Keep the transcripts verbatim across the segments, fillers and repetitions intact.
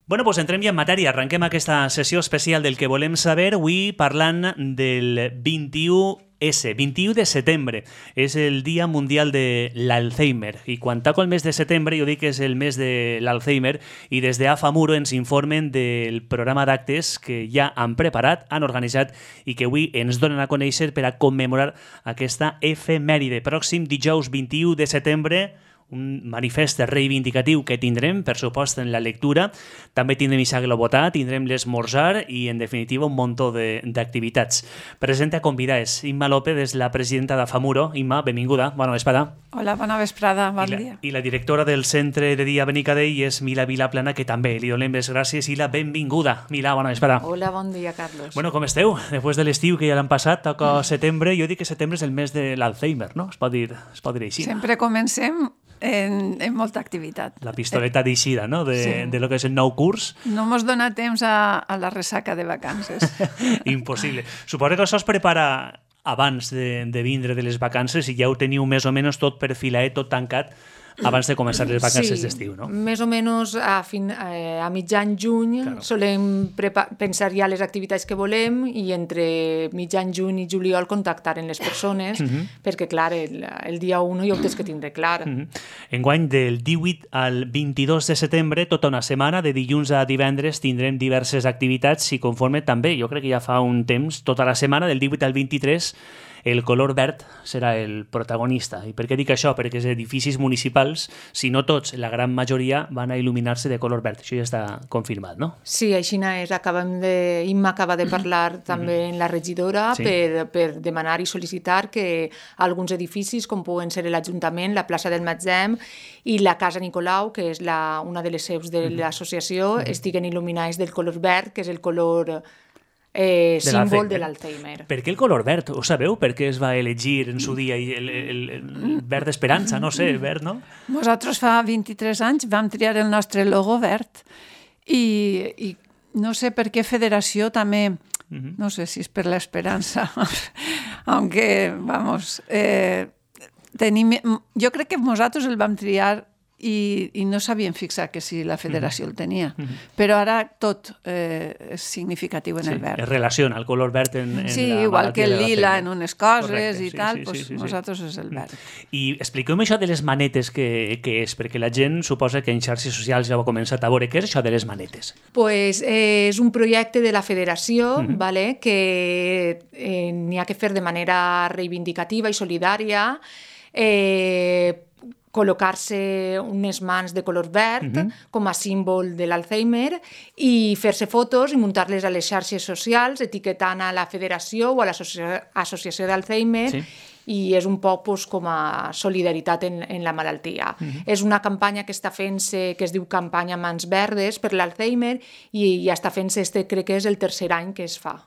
Bueno, doncs entrem ja en matèria. Arrenquem aquesta sessió especial del que volem saber. Avui parlant del vint-i-u esse, vint-i-u de setembre. És el Dia Mundial de l'Alzheimer. I quan toca el mes de setembre, jo dic que és el mes de l'Alzheimer, i des de AFAMURO ens informen del programa d'actes que ja han preparat, han organitzat i que avui ens donen a conèixer per a commemorar aquesta efemèride. Pròxim dijous vint-i-u de setembre, un manifest reivindicatiu que tindrem, per supost, en la lectura. També tindrem Isaac Lobotà, tindrem l'esmorzar i, en definitiva, un muntó d'activitats. Presenta convidades. Imma López és la presidenta d'AFAMURO. Imma, benvinguda. Bona vesprada. Hola, bona vesprada. Bon I la, dia. I la directora del Centre de Dia Benicadell és Mila Vilaplana, que també li donem les gràcies i la benvinguda. Mila, bona vesprada. Hola, bon dia, Carlos. Bueno, com esteu? Després de l'estiu que ja l'han passat, toca setembre. Jo dic que setembre és el mes de l'Alzheimer, no? Es pot dir, es pot dir així. Sempre comencem en, en molta activitat. La pistoleta d'eixida, no? De, Sí. de lo que és el nou curs. No mos dona temps a, a la ressaca de vacances. Impossible. Suposo que això es prepara abans de, de vindre de les vacances i ja ho teniu més o menys tot perfilat, tot tancat, abans de començar les vacances Sí, d'estiu, no? més o menys a, fin, eh, a mitjan juny Claro. solem prepa- pensar ja les activitats que volem i entre mitjan juny i juliol contactar amb les persones perquè, clar, el, el dia u ja ho tens que tindre clar. Mhm. Enguany, del divuit al vint-i-dos de setembre, tota una setmana, de dilluns a divendres, tindrem diverses activitats i conforme també, jo crec que ja fa un temps, tota la setmana, del divuit al vint-i-tres, el color verd serà el protagonista. I per què dic això? Perquè els edificis municipals, si no tots, la gran majoria, van a il·luminar-se de color verd. Això ja està confirmat, no? Sí, així és. Acabem de... Imma acaba de parlar també amb la regidora Sí. per, per demanar i sol·licitar que alguns edificis, com poden ser l'Ajuntament, la plaça del Matzem i la Casa Nicolau, que és la, una de les seus de l'associació, estiguen il·luminats del color verd, que és el color eh, De símbol l'Alzheimer. de l'Alzheimer. Per què el color verd? Ho sabeu? Per què es va elegir en su dia i el, el, el verd d'esperança? No sé, verd, no? Nosaltres fa vint-i-tres anys vam triar el nostre logo verd i, i no sé per què Federació també, no sé si és per l'esperança, aunque, vamos, eh, tenim, jo crec que nosaltres el vam triar i, i no sabíem fixar que si la Federació el tenia, però ara tot eh, és significatiu en Sí, el verd. es relaciona el color verd en, en Sí, la igual que el malaltia de lila l'Alzheimer. en unes coses Correcte, i sí, tal, sí, pues sí, sí, sí. nosaltres és el verd. I expliqueu-me això de les manetes que, que és, perquè la gent suposa que en xarxes socials ja ho ha començat a veure. Què és això de les manetes? Pues, eh, és un projecte de la Federació vale, que eh, n'hi ha que fer de manera reivindicativa i solidària, eh, col·locar-se unes mans de color verd com a símbol de l'Alzheimer i fer-se fotos i muntar-les a les xarxes socials etiquetant a la Federació o a l'Associació d'Alzheimer Sí. i és un poc pues, com a solidaritat en, en la malaltia. És una campanya que està fent-se, que es diu Campanya Mans Verdes per l'Alzheimer i ja està fent-se, este crec que és el tercer any que es fa.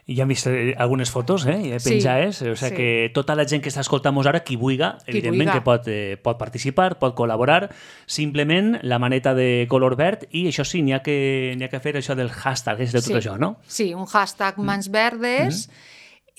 I ja hem vist eh, algunes fotos, eh, Sí, penjades, o sigui sí. que tota la gent que està escoltant-nos ara, qui vulga, Qui evidentment vulga. que pot, eh, pot participar, pot col·laborar, simplement la maneta de color verd i això sí, n'hi ha, que, n'hi ha que fer això del hashtag, és de tot Sí. això, no? Sí, un hashtag Mans Verdes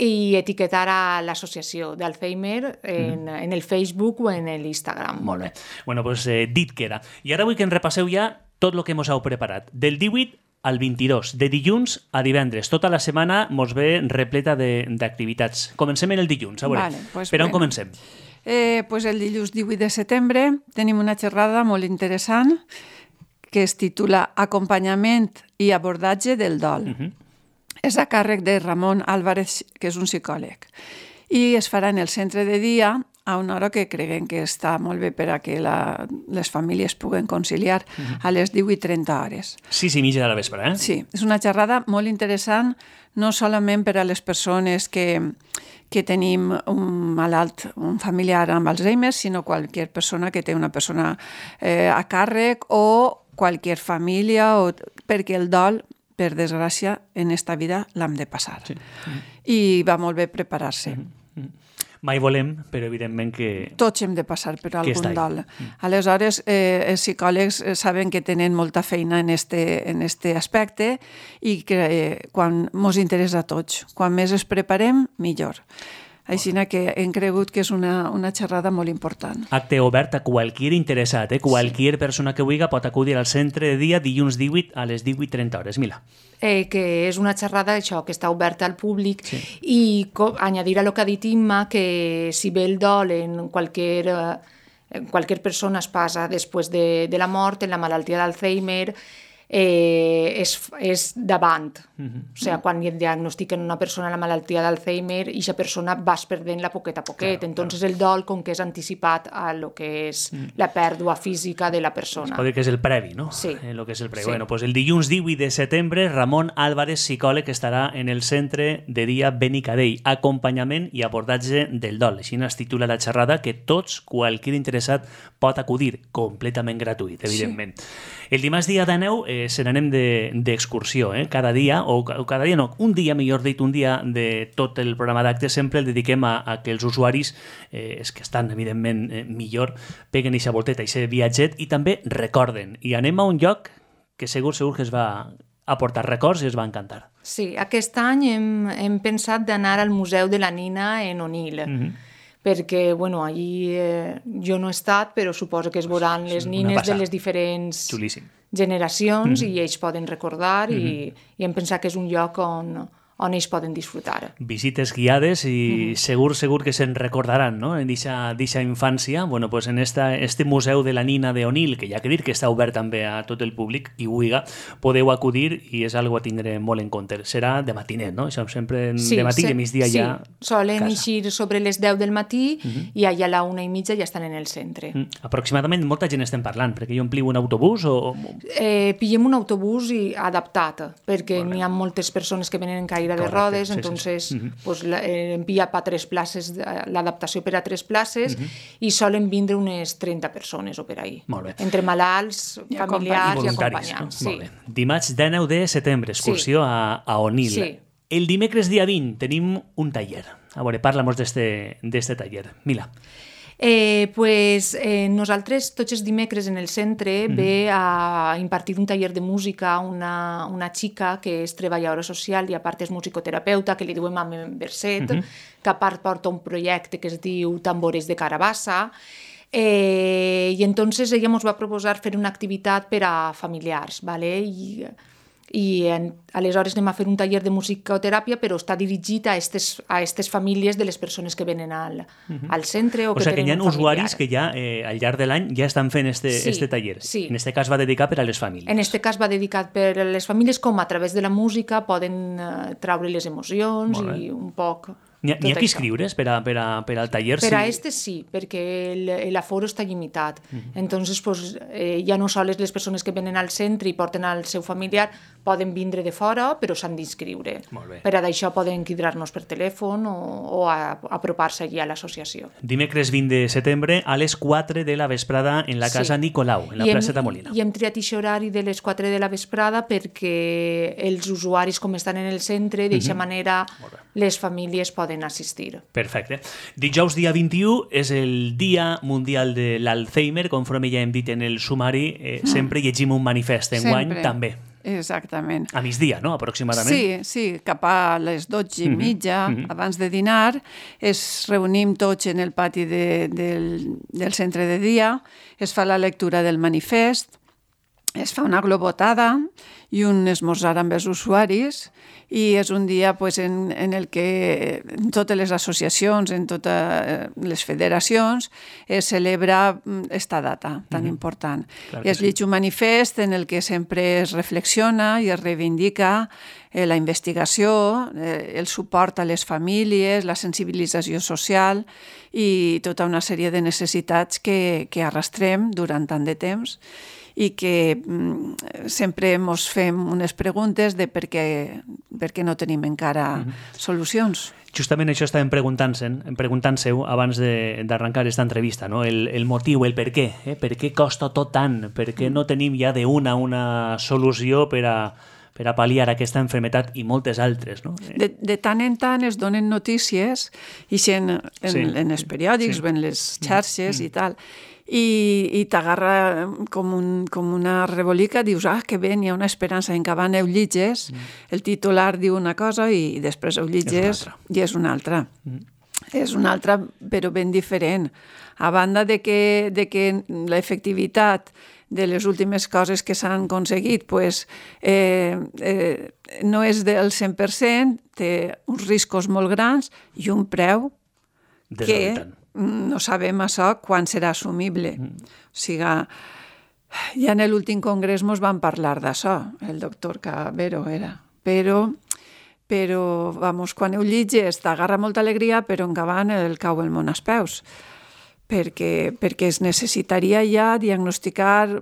i etiquetar a l'associació d'Alzheimer en, en el Facebook o en l'Instagram. Molt bé. Bueno, doncs eh, dit queda. I ara vull que en repasseu ja tot el que mos heu preparat. Del divuit al vint-i-dos, de dilluns a divendres. Tota la setmana mos ve repleta de- d'activitats. Comencem en el dilluns, a veure. Vale, pues per on bueno. comencem? Eh, pues el dilluns divuit de setembre tenim una xerrada molt interessant que es titula Acompanyament i abordatge del dol. És a càrrec de Ramon Álvarez, que és un psicòleg. I es farà en el centre de dia a una hora que creguem que està molt bé per a que la, les famílies puguen conciliar a les divuit trenta hores. Sis i mitja de la vespre, eh? Sí, és una xerrada molt interessant, no solament per a les persones que, que tenim un malalt, un familiar amb Alzheimer, sinó qualsevol persona que té una persona eh, a càrrec o qualsevol família, o, perquè el dol, per desgràcia, en esta vida l'hem de passar. Sí. I va molt bé preparar-se. Mai volem, però evidentment que... Tots hem de passar per Que està algun ahí. dol. Aleshores, eh, els psicòlegs eh, saben que tenen molta feina en este, en este aspecte i que eh, quan mos interessa a tots. Quan més es preparem, millor. Així que hem cregut que és una, una xerrada molt important. Acte obert a qualquier interessat, eh? Qualquier sí. persona que vulgui pot acudir al centre de dia dilluns divuit a les divuit trenta hores. Mila. Eh, que és una xerrada això, que està oberta al públic sí. i co- añadir a lo que ha dit Imma que si ve el dol en qualsevol... Eh, qualsevol persona es passa després de, de la mort, en la malaltia d'Alzheimer, eh, és, és davant. Mm-hmm. O sigui, quan diagnostiquen una persona la malaltia d'Alzheimer, aquesta persona vas perdent-la poquet a poquet. Claro, Entonces claro. el dol, com que és anticipat a lo que és mm. la pèrdua física de la persona. Es pot dir que és el previ, no? Sí. Eh, lo que és el previ. Sí. Bueno, pues el dilluns divuit de setembre, Ramon Álvarez, psicòleg, estarà en el centre de dia Benicadell. Acompanyament i abordatge del dol. Així es titula la xerrada que tots, qualsevol interessat, pot acudir completament gratuït, evidentment. Sí. El dimarts dia dinou eh, se n'anem d'excursió, de, eh? Cada dia, o, o cada dia no, un dia, millor dit, un dia de tot el programa d'actes sempre el dediquem a, a que els usuaris, eh, els que estan evidentment eh, millor, peguen eixa volteta, eixe viatget i també recorden. I anem a un lloc que segur, segur que es va aportar records i es va encantar. Sí, aquest any hem, hem pensat d'anar al Museu de la Nina en Onil. Mm-hmm. perquè, bueno, allí eh, jo no he estat, però suposo que es veuran les nines de les diferents Xulíssim. generacions mm-hmm. i ells poden recordar mm-hmm. i, i hem pensat que és un lloc on, on ells poden disfrutar. Visites guiades i mm-hmm. segur, segur que se'n recordaran, no?, en d'aquesta infància. Bueno, pues en esta, este Museu de la Nina de Onil, que ja que dir que està obert també a tot el públic, i vulga, podeu acudir i és algo a tindre molt en compte. Serà de matinet, no? Això sempre sí, de matí se, i de migdia sí. ja solen casa. eixir sobre les deu del matí mm-hmm. i allà a la una i mitja ja estan en el centre. Mm. Aproximadament molta gent estem parlant, perquè hi ompliu un autobús o... Eh, pillem un autobús i adaptat, perquè n'hi ha moltes persones que venen en caire de rodes, sí, entonces sí, sí. Mm-hmm. pues, la, eh, envia per tres places, l'adaptació per a tres places mm-hmm. i solen vindre unes trenta persones o per ahí. Molt bé. Entre malalts, I familiars i voluntaris, acompanyants. no? Sí. Molt bé. Dimarts dinou de setembre, excursió sí. a, a Onil. Sí. El dimecres dia vint tenim un taller. A veure, parla'm d'este taller. Mila. Eh, pues, eh, nosaltres tots els dimecres en el centre mm-hmm. ve a impartir un taller de música una, una xica que és treballadora social i a part és musicoterapeuta, que li diuen Mame Verset, mm-hmm. que a part porta un projecte que es diu Tambores de Carabassa, eh, i entonces ella ens va proposar fer una activitat per a familiars, ¿vale? I i en, aleshores anem a fer un taller de musicoteràpia, però està dirigit a estes, a estes famílies de les persones que venen al, uh-huh. al centre o, o que sigui, tenen que hi ha un usuaris familiar. que ja eh, al llarg de l'any ja estan fent este, sí, este taller. Sí. En este cas va dedicat per a les famílies. En este cas va dedicat per a les famílies, com a través de la música poden eh, traure les emocions i un poc... N'hi ha, ha que inscriure's per, a, per, a, per al taller? Per sí. a este sí, perquè l'aforo està limitat. Uh-huh. Entonces, pues, eh, ja no sols les persones que venen al centre i porten al seu familiar poden vindre de fora, però s'han d'inscriure. Per a d'això poden cridar-nos per telèfon o, o a, a apropar-se allà a l'associació. Dimecres vint de setembre a les quatre de la vesprada en la casa sí. Nicolau, en la I plaça hem, de Molina. I hem triat aquest horari de les quatre de la vesprada perquè els usuaris, com estan en el centre, d'eixa uh-huh. manera les famílies poden assistir. Perfecte. Dijous dia vint-i-u és el Dia Mundial de l'Alzheimer, conforme ja hem dit en el sumari, eh, sempre llegim un manifest enguany sempre. també. Exactament. A migdia, no?, aproximadament. Sí, sí, cap a les dotze i mitja, mm-hmm. abans de dinar, es reunim tots en el pati de, del, del centre de dia, es fa la lectura del manifest, es fa una globotada i un esmorzar amb els usuaris, i és un dia pues, en, en el que en totes les associacions, en totes les federacions, es celebra esta data tan mm-hmm. important. Clar I es llig sí. un manifest en el que sempre es reflexiona i es reivindica eh, la investigació, eh, el suport a les famílies, la sensibilització social i tota una sèrie de necessitats que, que arrastrem durant tant de temps i que mm, sempre ens fem unes preguntes de per què, per què no tenim encara mm-hmm. solucions. Justament això estàvem preguntant-se, preguntant-se-ho abans d'arrencar aquesta entrevista, no? el, el motiu, el per què, eh? Per què costa tot tant, per què no tenim ja d'una una solució per a, per a pal·liar aquesta malaltia i moltes altres. No? De, de tant en tant es donen notícies i en, en, sí. en els periòdics, sí. en les xarxes mm. i tal, i, i t'agarra com, un, com una rebolica, dius, ah, que bé, hi ha una esperança, en que van ho llitges, mm. el titular diu una cosa i després ho llitges és i és una altra. Mm. és una altra, però ben diferent. A banda de que, de que l'efectivitat de les últimes coses que s'han aconseguit pues, eh, eh, no és del cent per cent, té uns riscos molt grans i un preu que no sabem això quan serà assumible. Mm. O sigui, ja en l'últim congrés mos van parlar d'això, el doctor Cabero era, però, però vamos, quan ho llitges t'agarra molta alegria, però en acabant el cau el món als peus, perquè, perquè es necessitaria ja diagnosticar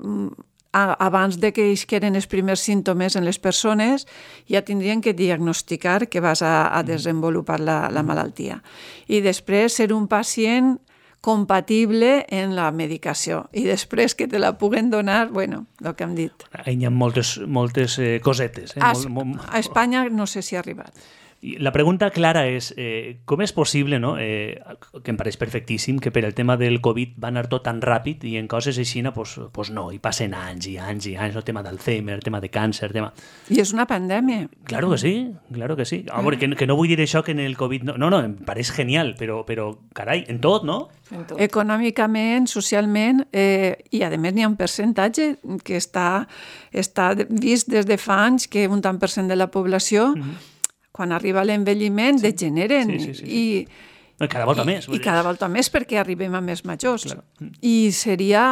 abans de que isqueren els primers símptomes en les persones, ja tindrien que diagnosticar que vas a, a desenvolupar la, la malaltia. I després ser un pacient compatible en la medicació. I després que te la puguen donar, bueno, el que hem dit. Hi ha moltes, moltes eh, cosetes. Eh? A, Mol, molt... a Espanya no sé si ha arribat. La pregunta clara és, eh, com és possible, no? eh, que em pareix perfectíssim, que per el tema del Covid va anar tot tan ràpid i en coses així, pues, pues no, i passen anys i anys i anys, el tema d'Alzheimer, el tema de càncer, el tema... I és una pandèmia. Claro que sí, claro que sí. A veure, que, que no vull dir això que en el Covid... No, no, no em pareix genial, però, però carai, en tot, no? En tot. Econòmicament, socialment, eh, i a més n'hi ha un percentatge que està, està vist des de fa anys que un tant per cent de la població... Mm-hmm. Quan arriba l'envelliment, sí. degeneren. Sí, sí, sí, sí. I, cada volta i, més. I cada volta més perquè arribem a més majors. Claro. I seria,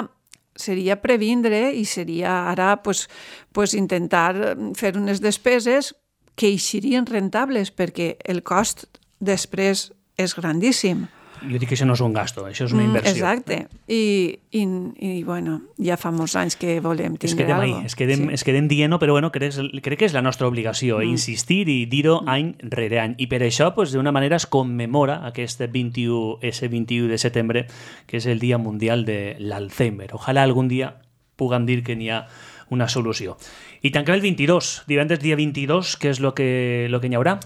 seria previndre i seria ara pues, pues intentar fer unes despeses que eixirien rentables perquè el cost després és grandíssim. Jo dic que això no és un gasto, això és una inversió. Mm, exacte. I, i, i bueno, ja fa molts anys que volem tindre alguna cosa. Es quedem, sí. es quedem dient-ho, però bueno, crec, crec que és la nostra obligació, mm. insistir i dir-ho mm. any rere any. I per això, pues, d'una manera, es commemora aquest vint-i-u, ese vint-i-u de setembre, que és el Dia Mundial de l'Alzheimer. Ojalà algun dia puguem dir que n'hi ha una solució. I tanquem el vint-i-dos, divendres dia vint-i-dos, què és el que, lo que n'hi haurà?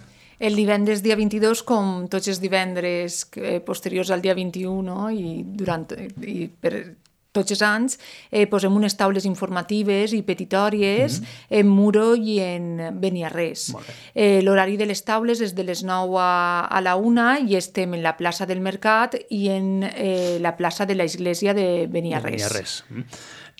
El divendres dia vint-i-dos, com tots els divendres posteriors al dia vint-i-u, no? I, durant, i per tots els anys, eh, posem unes taules informatives i petitòries mm-hmm. en Muro i en Beniarrés. Eh, L'horari de les taules és de les nou a, a la una i estem en la plaça del Mercat i en eh, la plaça de l'església de Beniarrés. Beniarrés. Mm.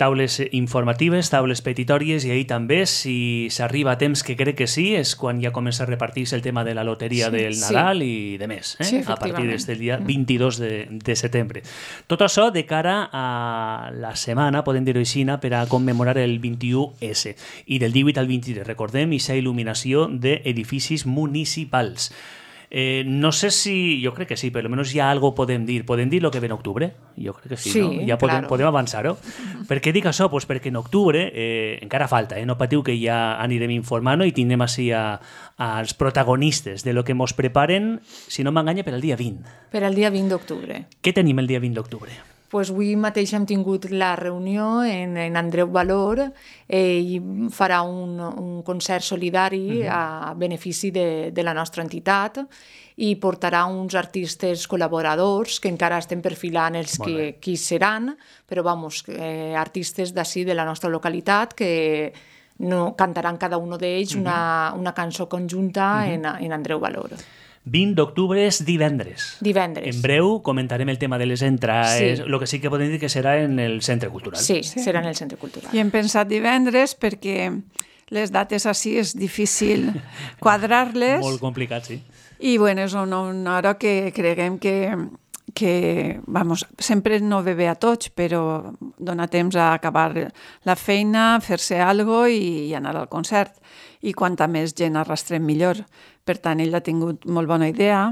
Taules informatives, taules petitòries, i ahir també, si s'arriba a temps, que crec que sí, és quan ja comença a repartir-se el tema de la loteria sí, del Nadal sí. i de més, eh? sí, a partir del dia vint-i-dos de, de setembre. Tot això de cara a la setmana, podem dir-ho així, per a commemorar el vint-i-u esse. I del divuit al vint-i-tres, recordem, aquesta il·luminació d'edificis municipals. Eh, no sé si, jo crec que sí, però almenys ja algo podem dir. Podem dir el que ve en octubre? Jo crec que sí, sí no? Ja podem, claro. podem avançar-ho. Per què dic això? Pues perquè en octubre eh, encara falta, eh? No patiu que ja anirem informant i tindrem així a, als protagonistes de lo que mos preparen, si no m'enganya, per al dia vint. Per al dia vint d'octubre. Què tenim el dia vint d'octubre? Pues avui mateix hem tingut la reunió en, en Andreu Valor eh, i farà un, un concert solidari uh-huh. a benefici de, de la nostra entitat i portarà uns artistes col·laboradors que encara estem perfilant els que, qui seran, però vamos, eh, artistes d'ací de la nostra localitat que no, cantaran cada un d'ells uh-huh. una, una cançó conjunta uh-huh. en, en Andreu Valor. vint d'octubre és divendres. Divendres. En breu comentarem el tema de les entrades, sí. el que sí que podem dir que serà en el Centre Cultural. Sí, sí, serà en el Centre Cultural. I hem pensat divendres perquè les dates així és difícil quadrar-les. Molt complicat, sí. I bueno, és una, una hora que creguem que, que vamos, sempre no ve bé a tots, però dona temps a acabar la feina, fer-se algo i, i anar al concert. I quanta més gent arrastrem millor. Per tant, ell ha tingut molt bona idea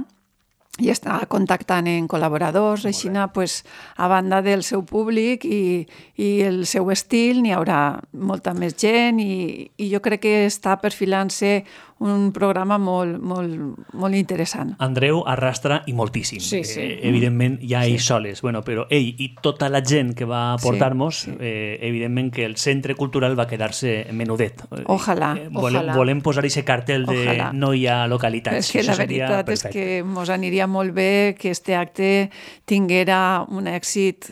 i està contactant en col·laboradors, així, pues, a banda del seu públic i, i el seu estil, n'hi haurà molta més gent i, i jo crec que està perfilant-se un programa molt, molt, molt interessant. Andreu arrastra i moltíssim. Sí, sí. Eh, evidentment, ja sí. ells soles. Bueno, però ell i tota la gent que va portar-nos, sí, sí. eh, evidentment que el Centre Cultural va quedar-se menudet. Ojalà. Eh, volem, Ojalà. volem posar aquest cartel de Ojalà. no hi ha localitats. És que Això la veritat perfecte. és que mos aniria molt bé que este acte tinguera un èxit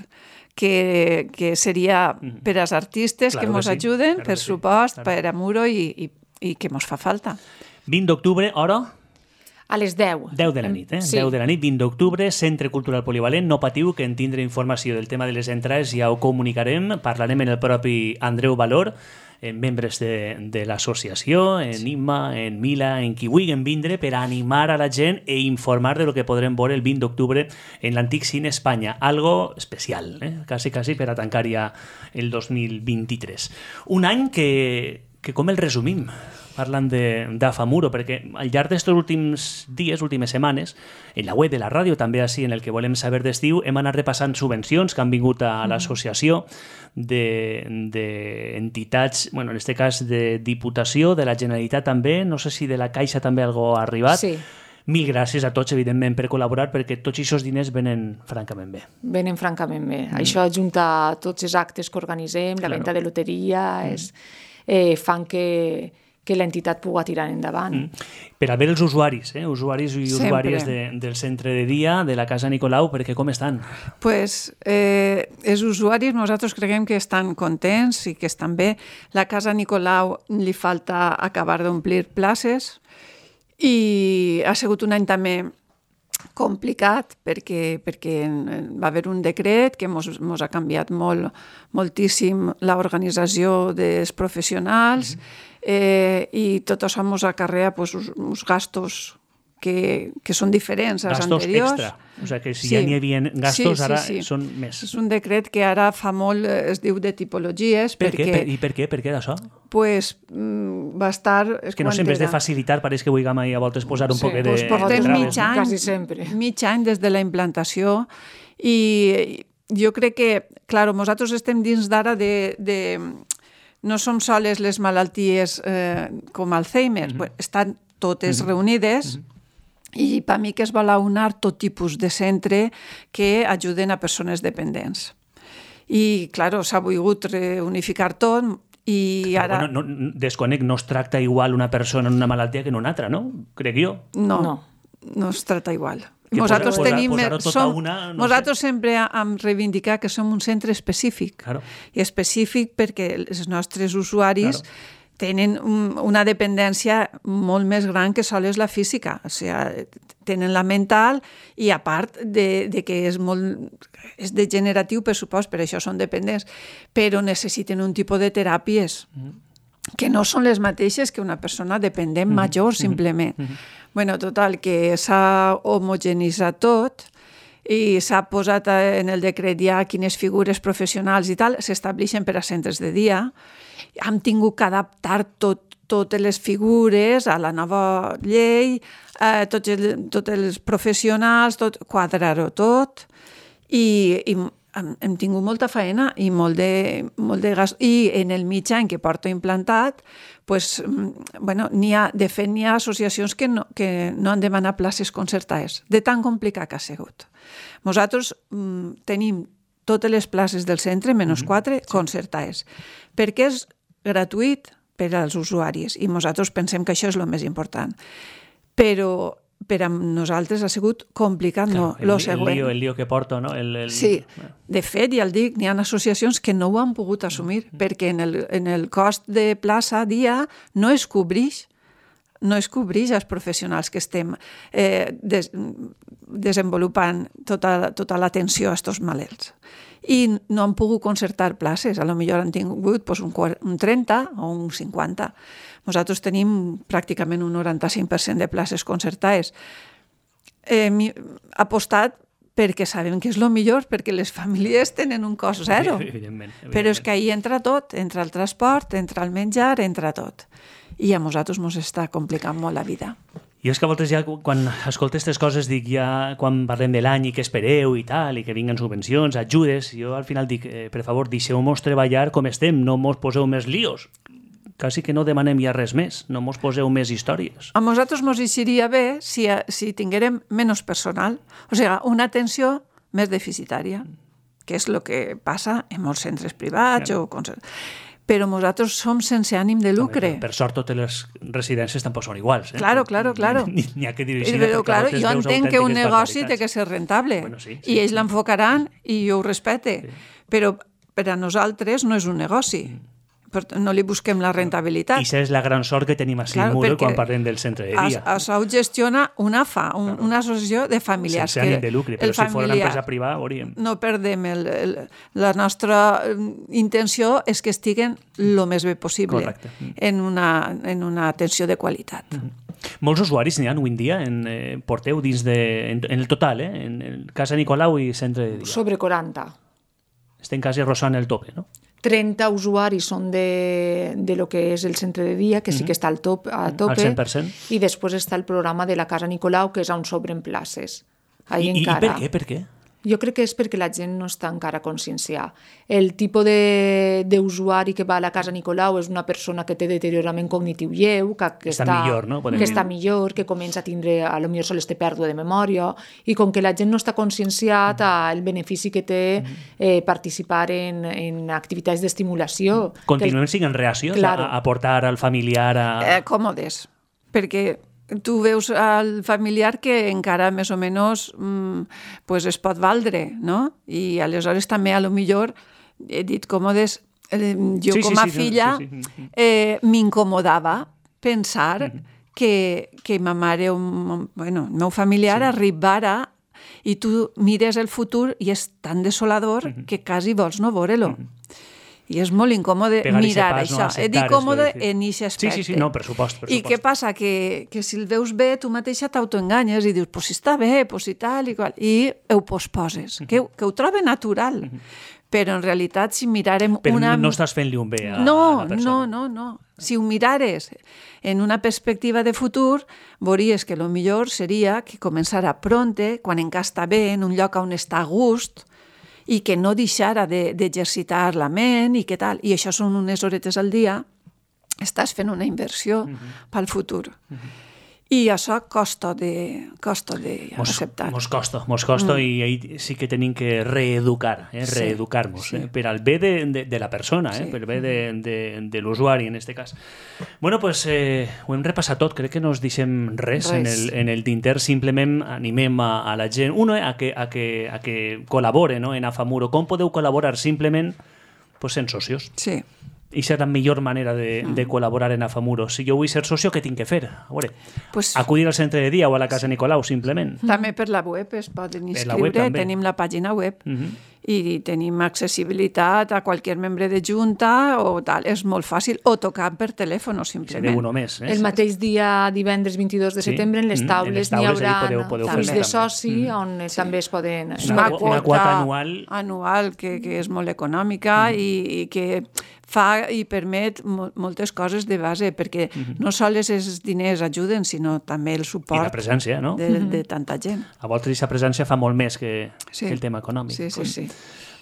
que, que seria per als artistes claro que mos que sí, ajuden, claro per que sí, supost, claro. per a Muro i, i, i que mos fa falta. vint d'octubre, hora? A les deu. deu de la nit, eh? Sí. deu de la nit, vint d'octubre, Centre Cultural Polivalent. No patiu, que en tindre informació del tema de les entrades ja ho comunicarem. Parlarem en el propi Andreu Valor, en membres de, de l'associació, en Imma, en Mila, en qui vulguin vindre per animar a la gent e informar de lo que podrem veure el vint d'octubre en l'Antic Cine Espanya. Algo especial, eh? quasi, quasi per a tancar ja el dos mil vint-i-tres. Un any que, que com el resumim? Parlant d'Afamuro, perquè al llarg d'aquests últims dies, últimes setmanes, en la web de la ràdio, també així en el que volem saber d'estiu, hem anat repassant subvencions que han vingut a l'associació d'entitats, bueno, en aquest cas de Diputació, de la Generalitat també, no sé si de la Caixa també algo ha arribat. Sí. Mil gràcies a tots, evidentment, per col·laborar, perquè tots aquests diners venen francament bé. Venen francament bé. Mm. Això ajunta tots els actes que organitzem, la Claro. venda de loteria, mm. és, eh, fan que... que l'entitat pugui tirar endavant. Mm. Per a veure els usuaris, eh? usuaris i Sempre. usuàries de, del centre de dia, de la Casa Nicolau, perquè com estan? Pues, eh, els usuaris nosaltres creiem que estan contents i que estan bé. La Casa Nicolau li falta acabar d'omplir places i ha sigut un any també complicat perquè, perquè va haver un decret que mos, mos ha canviat molt, moltíssim l'organització dels professionals, mm-hmm. eh, i tot això mos acarrea pues, uns, uns gastos que, que són diferents als gastos anteriors. Extra. O sigui que si Sí. ja n'hi havia gastos, Sí, sí, ara sí. són més. És un decret que ara fa molt, es diu de tipologies, Per perquè què? Per, I per què? Per què d'això? pues, mm, va estar... És que no sé, en vez de era? facilitar, pareix que vulguem a voltes posar un Sí, poc de... pues Portem Traves, mig any, quasi sempre. mig any des de la implantació i jo crec que, clar, nosaltres estem dins d'ara de, de... No som soles les malalties eh, com Alzheimer, mm-hmm. estan totes mm-hmm. reunides mm-hmm. i per mi que es vol aunar tot tipus de centre que ajuden a persones dependents. I, clar, s'ha volgut reunificar tot i ara... Però, bueno, no, desconec, no es tracta igual una persona en una malaltia que en una altra, no? Crec jo. No, No. no, no es tracta igual. Que Nosaltres posar- tenim... posar-ho tot a som, una, no nosaltres sempre hem reivindicat que som un centre específic. Claro. I específic perquè els nostres usuaris Claro. tenen un, una dependència molt més gran que sols la física. O sigui, tenen la mental i a part de, de que és molt és degeneratiu, per supost, per això són dependents, però necessiten un tipus de teràpies mm. que no són les mateixes que una persona dependent mm. major, simplement. Mm. Bueno, total, que s'ha homogenitzat tot i s'ha posat en el decret ja quines figures professionals i tal s'estableixen per a centres de dia. Hem tingut que adaptar tot, totes les figures a la nova llei, eh, tots, el, tots els professionals, tot, quadrar-ho tot i, i hem, hem tingut molta feina i molt de, molt de gas. I en el mig any que porto implantat, pues, bueno, ha, de fet, n'hi ha associacions que no, que no han demanat places concertades, de tan complicat que ha sigut. Nosaltres mm, tenim totes les places del centre, menys quatre, mm-hmm. concertades, perquè és gratuït per als usuaris i nosaltres pensem que això és el més important. Però per a nosaltres ha sigut complicat, Claro, no, el, lo el, següent. lío, el lío que porto, no? El, el... Sí, de fet, ja el dic, n'hi ha associacions que no ho han pogut assumir perquè en el, en el cost de plaça dia no es cobrix, no es cobrix els professionals que estem eh, des, desenvolupant tota, tota l'atenció a aquests malalts. I no han pogut concertar places, a lo millor han tingut pues, un, un trenta o un cinquanta. Nosaltres tenim pràcticament un noranta-cinc per cent de places concertades. Eh, apostat perquè sabem que és el millor, perquè les famílies tenen un cost zero. Evidentment, evidentment. Però és que ahí entra tot, entra el transport, entra el menjar, entra tot. I a nosaltres ens està complicant molt la vida. I és que a voltes ja, quan escolto aquestes coses, dic ja, quan parlem de l'any i que espereu i tal, i que vinguen subvencions, ajudes, jo al final dic, eh, per favor, deixeu-nos treballar com estem, no mos poseu més líos. Quasi que no demanem ja res més, no mos poseu més històries. A nosaltres ens eixiria bé si, si tinguérem menys personal, o sigui, una atenció més deficitària, que és el que passa en molts centres privats o concerts. Però nosaltres som sense ànim de lucre. Per sort, totes les residències tampoc són iguals. Eh? Claro, claro, claro. N'hi ha que dirigir. Però, claro, jo entenc que un negoci té que ser rentable. Bueno, sí, sí, I ells sí. l'enfocaran i jo ho respecte. Sí. Però per a nosaltres no és un negoci. no li busquem la rentabilitat. I això és la gran sort que tenim a Simur quan parlem del centre de dia. Això ho gestiona una F A, un, una associació de familiars. Sense ànim de lucre, però si fos una empresa privada, hauríem. No perdem. El, el, la nostra intenció és que estiguen el més bé possible. Correcte. en una, en una atenció de qualitat. Mm-hmm. Molts usuaris n'hi ha avui en dia, en, eh, porteu dins de... En, en el total, eh? En, en Casa Nicolau i centre de dia. Sobre quaranta. Estem quasi rosant el tope, no? trenta usuaris són de, de lo que és el centre de dia, que sí que està al top, a tope. Al cent per cent. I després està el programa de la Casa Nicolau, que és on s'obren places. Ahí I, encara. I per què? Per què? Jo crec que és perquè la gent no està encara conscienciada. El tipus d'usuari que va a la Casa Nicolau és una persona que té deteriorament cognitiu lleu, que, que, està, està, millor, no? que està millor, que comença a tindre, a lo millor sols té pèrdua de memòria, i com que la gent no està conscienciat el benefici que té eh, participar en, en activitats d'estimulació. Continuem sent reacios claro. a, a portar al familiar a... Eh, còmodes, perquè tu veus al familiar que encara més o menys mm, pues es pot valdre, no? I aleshores també a lo millor he dit còmodes, eh, jo sí, com sí, a sí, filla sí, sí. Eh, m'incomodava pensar uh-huh. que, que ma mare, un, bueno, el meu familiar sí. arribara i tu mires el futur i és tan desolador uh-huh. que quasi vols no veure-lo. Uh-huh. I és molt incòmode Pegar mirar pas, això. No, He dit còmode en aquest aspecte. Sí, sí, sí, no, per supost, per I supost. què passa? Que, que si el veus bé, tu mateixa t'autoenganyes i dius, pues si està bé, pues si tal i qual, i ho posposes, uh-huh. que, que ho trobe natural. Uh-huh. Però en realitat, si mirarem Però una... no estàs fent-li un bé a, no, a la persona. No, no, no. Si ho mirares en una perspectiva de futur, veuries que el millor seria que començara pronte, quan encara està bé, en un lloc on està a gust, i que no deixara d'exercitar de, la ment i què tal. I això són unes horetes al dia, estàs fent una inversió uh-huh. pel futur. Uh-huh. I això costa de, costa de mos, acceptar. Mos costa, mos costa mm. i ahí sí que tenim que reeducar, eh? Sí, reeducar-nos, sí. eh? per al bé de, de, de la persona, eh? Sí. per al bé de, de, de l'usuari en este cas. Bueno, pues eh, ho hem repassat tot, crec que no us deixem res, res. En, el, en el tinter, simplement animem a, a la gent, uno, a que, a que, a que col·labore, no? En Afamuro. Com podeu col·laborar? Simplement pues, sent socios. Sí. I és la millor manera de, mm. de col·laborar en Afamuro. Si jo vull ser socio, què tinc que fer? A veure, pues, acudir al centre de dia o a la Casa Nicolau, simplement. També per la web es poden inscriure, web, tenim la pàgina web mm-hmm. i tenim accessibilitat a qualsevol membre de junta o tal, és molt fàcil, o tocar per telèfon, simplement. Seré uno més. Eh? El mateix dia, divendres vint-i-dos de setembre, en les taules, mm, n'hi haurà fills de soci, mm. on sí. també es poden... És una, una quota anual. Anual, que, que és molt econòmica mm. i, i que fa i permet mo moltes coses de base, perquè mm-hmm. no sols els diners ajuden, sinó també el suport I la presència, no? de, de tanta gent. A voltes aquesta presència fa molt més que, sí. que el tema econòmic. Sí, sí, sí.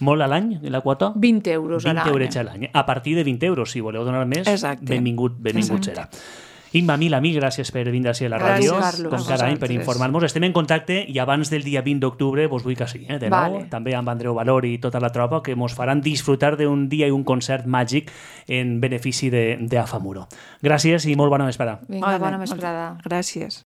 Molt a l'any, la quota? vint euros a l'any. vint euros a l'any. A partir de vint euros, si voleu donar més, Exacte. benvingut, benvingut Exacte. serà. Imma, mil amics, gràcies per vindre a la gràcies, ràdio, Carlos, com cada any, per informar-nos. Estem en contacte i abans del dia vint d'octubre vos vull que sí, eh, de nou, vale. també amb Andreu Valor i tota la tropa, que mos faran disfrutar d'un dia i un concert màgic en benefici d'Afamuro. Gràcies i molt bona vesprada. Vinga, bona vesprada. Gràcies.